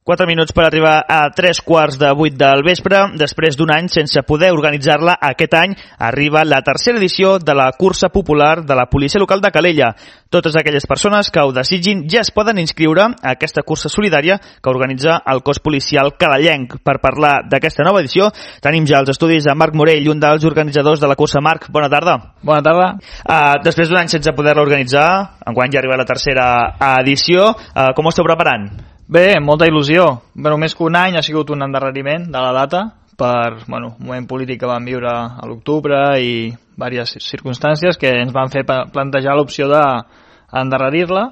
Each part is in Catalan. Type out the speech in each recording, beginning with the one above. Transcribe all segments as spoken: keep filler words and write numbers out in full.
Quatre minuts per arribar a tres quarts de vuit del vespre. Després d'un any sense poder organitzar-la, aquest any arriba la tercera edició de la cursa popular de la policia local de Calella. Totes aquelles persones que ho desitgin ja es poden inscriure a aquesta cursa solidària que organitza el cos policial calellenc. Per parlar d'aquesta nova edició tenim ja els estudis de Marc Morell, un dels organitzadors de la cursa. Marc, bona tarda. Bona tarda. Uh, després d'un any sense poder-la organitzar, enguany ja arriba la tercera edició, uh, com ho esteu preparant? Bé, molta il·lusió. Bueno, més que un any ha sigut un endarreriment de la data per bueno, un moment polític que vam viure a l'octubre i diverses circumstàncies que ens van fer plantejar l'opció d'endarrerir-la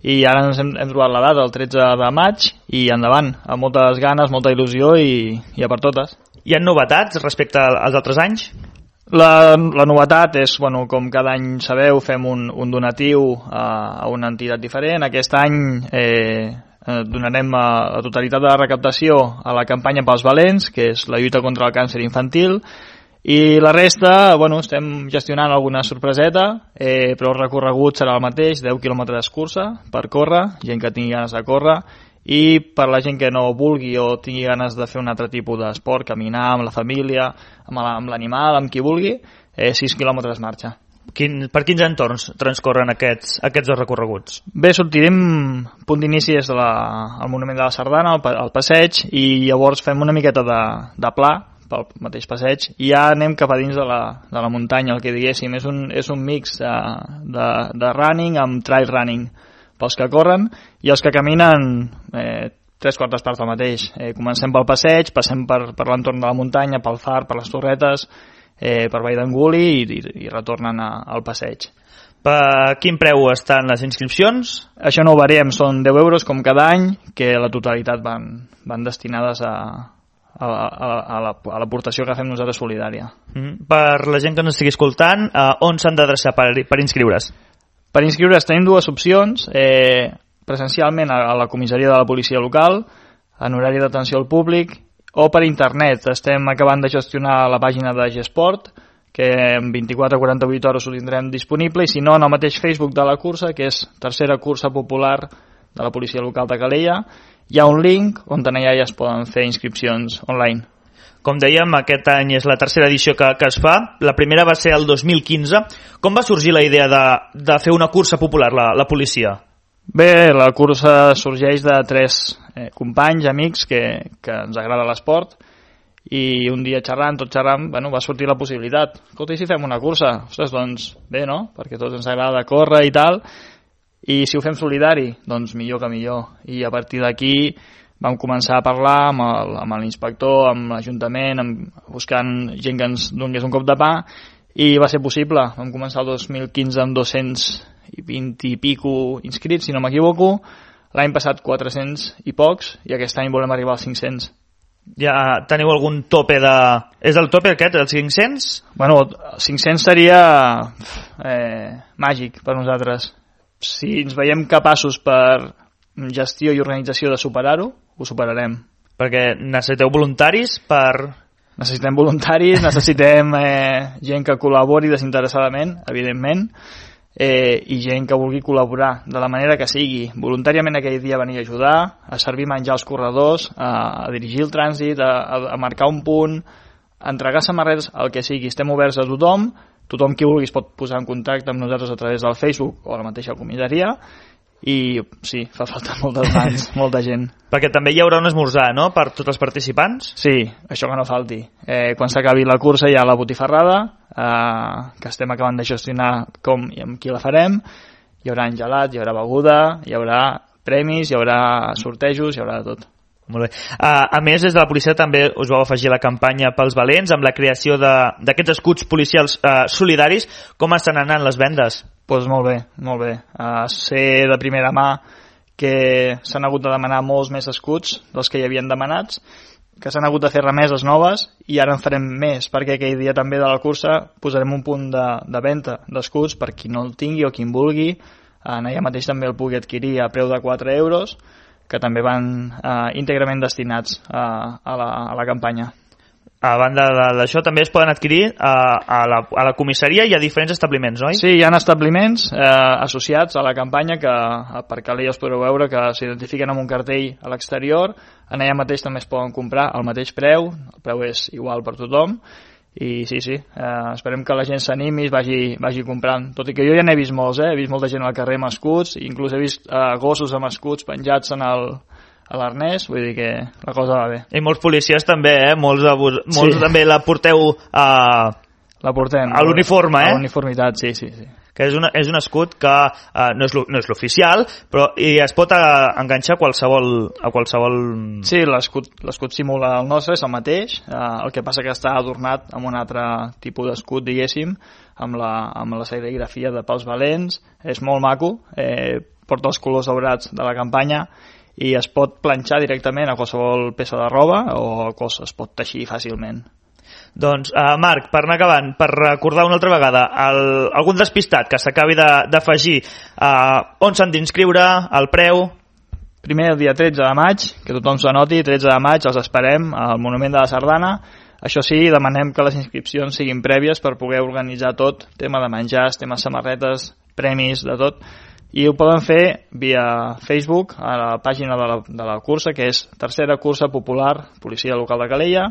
i ara ens hem, hem trobat la data, el tretze de maig, i endavant, amb moltes ganes, molta il·lusió i, i a per totes. Hi ha novetats respecte als altres anys? La, la novetat és, bueno, com cada any sabeu, fem un, un donatiu a, a una entitat diferent. Aquest any eh, donarem a, la totalitat de la recaptació a la campanya pels valents, que és la lluita contra el càncer infantil, i la resta, bueno, estem gestionant alguna sorpreseta, eh, però el recorregut serà el mateix, deu quilòmetres cursa per córrer, gent que tingui ganes de córrer, i per la gent que no vulgui o tingui ganes de fer un altre tipus d'esport, caminar amb la família, amb l'animal, amb qui vulgui, eh, sis quilòmetres marxa. Quin, per quins entorns transcorren aquests, aquests dos recorreguts? Bé, sortirem, punt d'inici és el Monument de la Sardana, el, el passeig, i llavors fem una miqueta de, de pla pel mateix passeig, i ja anem cap a dins de la, de la muntanya, el que diguéssim. És un, és un mix de, de, de running amb trail running pels que corren, i els que caminen eh, tres quartes parts del mateix. Eh, comencem pel passeig, passem per, per l'entorn de la muntanya, pel far, per les torretes, Eh, per Vall d'Anguli i, i, i retornen a, al passeig. Per quin preu estan les inscripcions? Això no ho variem, són deu euros com cada any, que la totalitat van, van destinades a, a, a, a l'aportació que fem nosaltres solidària. Mm. Per la gent que ens estigui escoltant, eh, on s'han d'adreçar per, per inscriure's? Per inscriure's tenim dues opcions, eh, presencialment a, a la comissaria de la policia local, en horari d'atenció al públic, o per internet. Estem acabant de gestionar la pàgina de Gesport, que en vint-i-quatre a quaranta-vuit hores ho tindrem disponible, i si no, en el mateix Facebook de la cursa, que és Tercera Cursa Popular de la Policia Local de Calella, hi ha un link on allà ja es poden fer inscripcions online. Com dèiem, aquest any és la tercera edició que, que es fa. La primera va ser el dos mil quinze. Com va sorgir la idea de, de fer una cursa popular, la, la policia? Bé, la cursa sorgeix de tres eh, companys, amics, que, que ens agrada l'esport, i un dia xerrant, tot xerrant, bueno, va sortir la possibilitat. Escolta, i si fem una cursa? Ostres, doncs bé, no? Perquè a tots ens agrada córrer i tal, i si ho fem solidari, doncs millor que millor. I a partir d'aquí vam començar a parlar amb l'inspector, amb l'Ajuntament, amb, buscant gent que ens donés un cop de pa, i va ser possible. Vam començar el dos mil quinze amb dos-cents i vint i pico inscrits, si no m'equivoco. L'any passat quatre-cents i pocs, i aquest any volem arribar als cinc-cents. Ja teniu algun tope de... És el tope aquest, els cinc-cents? Bueno, cinc-cents seria eh, màgic per nosaltres. Si ens veiem capaços per gestió i organització de superar-ho, ho superarem. Perquè necessiteu voluntaris per... Necessitem voluntaris, necessitem eh, gent que col·labori desinteressadament, evidentment, eh, i gent que vulgui col·laborar de la manera que sigui. Voluntàriament aquell dia venir a ajudar, a servir menjar als corredors, a, a dirigir el trànsit, a, a, a marcar un punt, a entregar samarretes, el que sigui. Estem oberts a tothom, tothom qui vulgui es pot posar en contacte amb nosaltres a través del Facebook o a la mateixa comissaria, i sí, fa falta moltes mans, molta gent. Perquè també hi haurà un esmorzar, no?, per tots els participants? Sí, això que no falti. Eh, quan s'acabi la cursa hi ha la botifarrada, eh, que estem acabant de gestionar com i amb qui la farem. Hi haurà gelat, hi haurà beguda, hi haurà premis, hi haurà sortejos, hi haurà de tot. Molt bé. Uh, a més, des de la policia també us vau afegir la campanya pels valents amb la creació d'aquests escuts policials uh, solidaris. Com estan anant les vendes? Doncs pues molt bé, molt bé. Uh, sé de primera mà que s'han hagut de demanar molts més escuts dels que hi havien demanats, que s'han hagut de fer remeses noves, i ara en farem més, perquè aquell dia també de la cursa posarem un punt de, de venda d'escuts per qui no el tingui o qui en vulgui. Uh, allà mateix també el pugui adquirir a preu de quatre euros, que també van eh, íntegrament destinats a, a, la, a la campanya. a banda d'això, també es poden adquirir a, a, la, a la comissaria i a diferents establiments, oi? Sí, hi ha establiments eh, associats a la campanya que per Calella us podreu veure que s'identifiquen amb un cartell a l'exterior. En allà mateix també es poden comprar al mateix preu, el preu és igual per tothom. I sí, sí, eh, esperem que la gent s'animi i vagi, vagi comprant. Tot i que jo ja n'he vist molts, eh? He vist molta gent al carrer amb escuts, inclús he vist eh, gossos amb escuts penjats en el... a l'arnès, vull dir que la cosa va bé. I molts policies també, eh? Molts, molts sí. també la porteu a... La portem. A l'uniforme, eh? A l'uniformitat, sí, sí, sí. Que és, una, és un escut que uh, no és no és l'oficial, però i es pot uh, enganxar a qualsevol, a qualsevol... Sí, l'escut simula el nostre, és el mateix, uh, el que passa que està adornat amb un altre tipus d'escut, diguéssim, amb la, amb la serigrafia de pals valents, és molt maco, eh, porta els colors daurats de la campanya, i es pot planxar directament a qualsevol peça de roba o cosa es pot teixir fàcilment. Doncs, uh, Marc, per anar acabant, per recordar una altra vegada, el, algun despistat que s'acabi d'afegir, uh, on s'han d'inscriure, el preu... Primer, el dia tretze de maig, que tothom s'anoti, tretze de maig els esperem al Monument de la Sardana. Això sí, demanem que les inscripcions siguin prèvies per poder organitzar tot, tema de menjars, tema samarretes, premis, de tot. I ho poden fer via Facebook, a la pàgina de la, de la cursa, que és Tercera Cursa Popular Policia Local de Calella,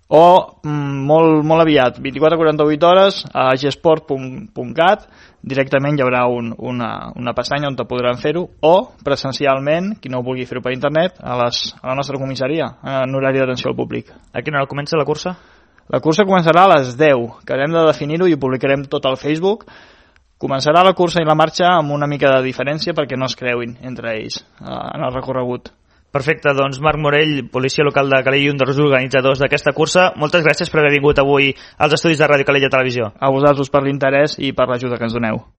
o molt, molt aviat, vint-i-quatre a quaranta-vuit hores, a gesport punt cat, directament hi haurà un, una, una pestanya on te podran fer-ho, o presencialment, qui no vulgui fer-ho per internet, a, les, a la nostra comissaria, en horari d'atenció al públic. A quina hora comença la cursa? La cursa començarà a les deu, que hem de definir-ho i ho publicarem tot al Facebook. Començarà la cursa i la marxa amb una mica de diferència perquè no es creuin entre ells eh, en el recorregut. Perfecte, doncs Marc Morell, policia local de Calella i un dels organitzadors d'aquesta cursa. Moltes gràcies per haver vingut avui als estudis de Ràdio Calella Televisió. A vosaltres per l'interès i per l'ajuda que ens doneu.